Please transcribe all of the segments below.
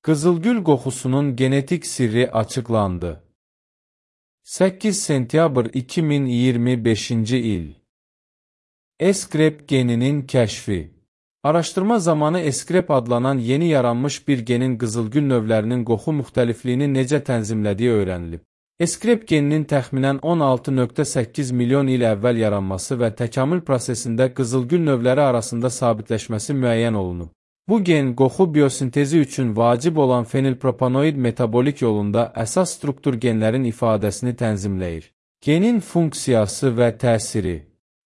Qızılgül qoxusunun genetik sirri açıqlandı. 8 sentyabr 2025-ci il. Eskrep geninin kəşfi. Araşdırma zamanı eskrep adlanan yeni yaranmış bir genin qızılgül növlərinin qoxu müxtəlifliyini necə tənzimlədiyi öyrənilib. Eskrep geninin təxminən 16,8 milyon il əvvəl yaranması və təkamül prosesində qızılgül növləri arasında sabitləşməsi müəyyən olunub. Bu gen, qoxu biosintezi üçün vacib olan fenilpropanoid metabolik yolunda əsas struktur genlərin ifadəsini tənzimləyir. Genin funksiyası və təsiri.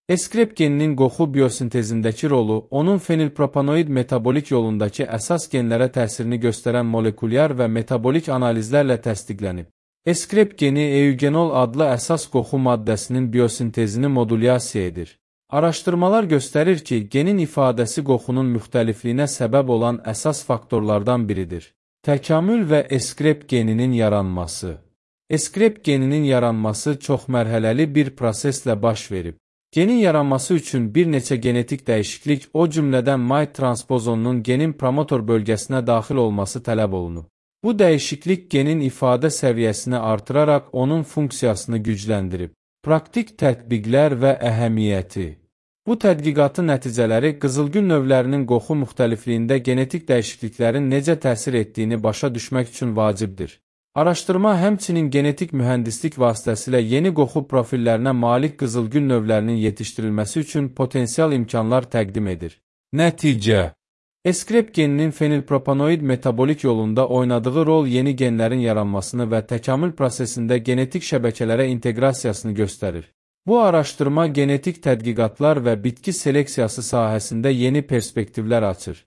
Eskrep geninin qoxu biosintezindəki rolu, onun fenilpropanoid metabolik yolundakı əsas genlərə təsirini göstərən molekulyar və metabolik analizlərlə təsdiqlənib. Eskrep geni eugenol adlı əsas qoxu maddəsinin biosintezini modulyasiya edir. Araşdırmalar göstərir ki, genin ifadəsi qoxunun müxtəlifliyinə səbəb olan əsas faktorlardan biridir. Təkamül və eskrep geninin yaranması. Eskrep geninin yaranması çoxmərhələli bir proseslə baş verib. Genin yaranması üçün bir neçə genetik dəyişiklik, o cümlədən MAIT transpozonunun genin promotor bölgəsinə daxil olması tələb olunub. Bu dəyişiklik genin ifadə səviyyəsini artıraraq onun funksiyasını gücləndirib. Praktik tətbiqlər və əhəmiyyəti. Bu tədqiqatın nəticələri qızılgül növlərinin qoxu müxtəlifliyində genetik dəyişikliklərin necə təsir etdiyini başa düşmək üçün vacibdir. Araşdırma həmçinin genetik mühəndislik vasitəsilə yeni qoxu profillərinə malik qızılgül növlərinin yetişdirilməsi üçün potensial imkanlar təqdim edir. Nəticə. Eskrep geninin fenilpropanoid metabolik yolunda oynadığı rol yeni genlərin yaranmasını və təkamül prosesində genetik şəbəkələrə inteqrasiyasını göstərir. Bu araşdırma genetik tədqiqatlar və bitki seleksiyası sahəsində yeni perspektivlər açır.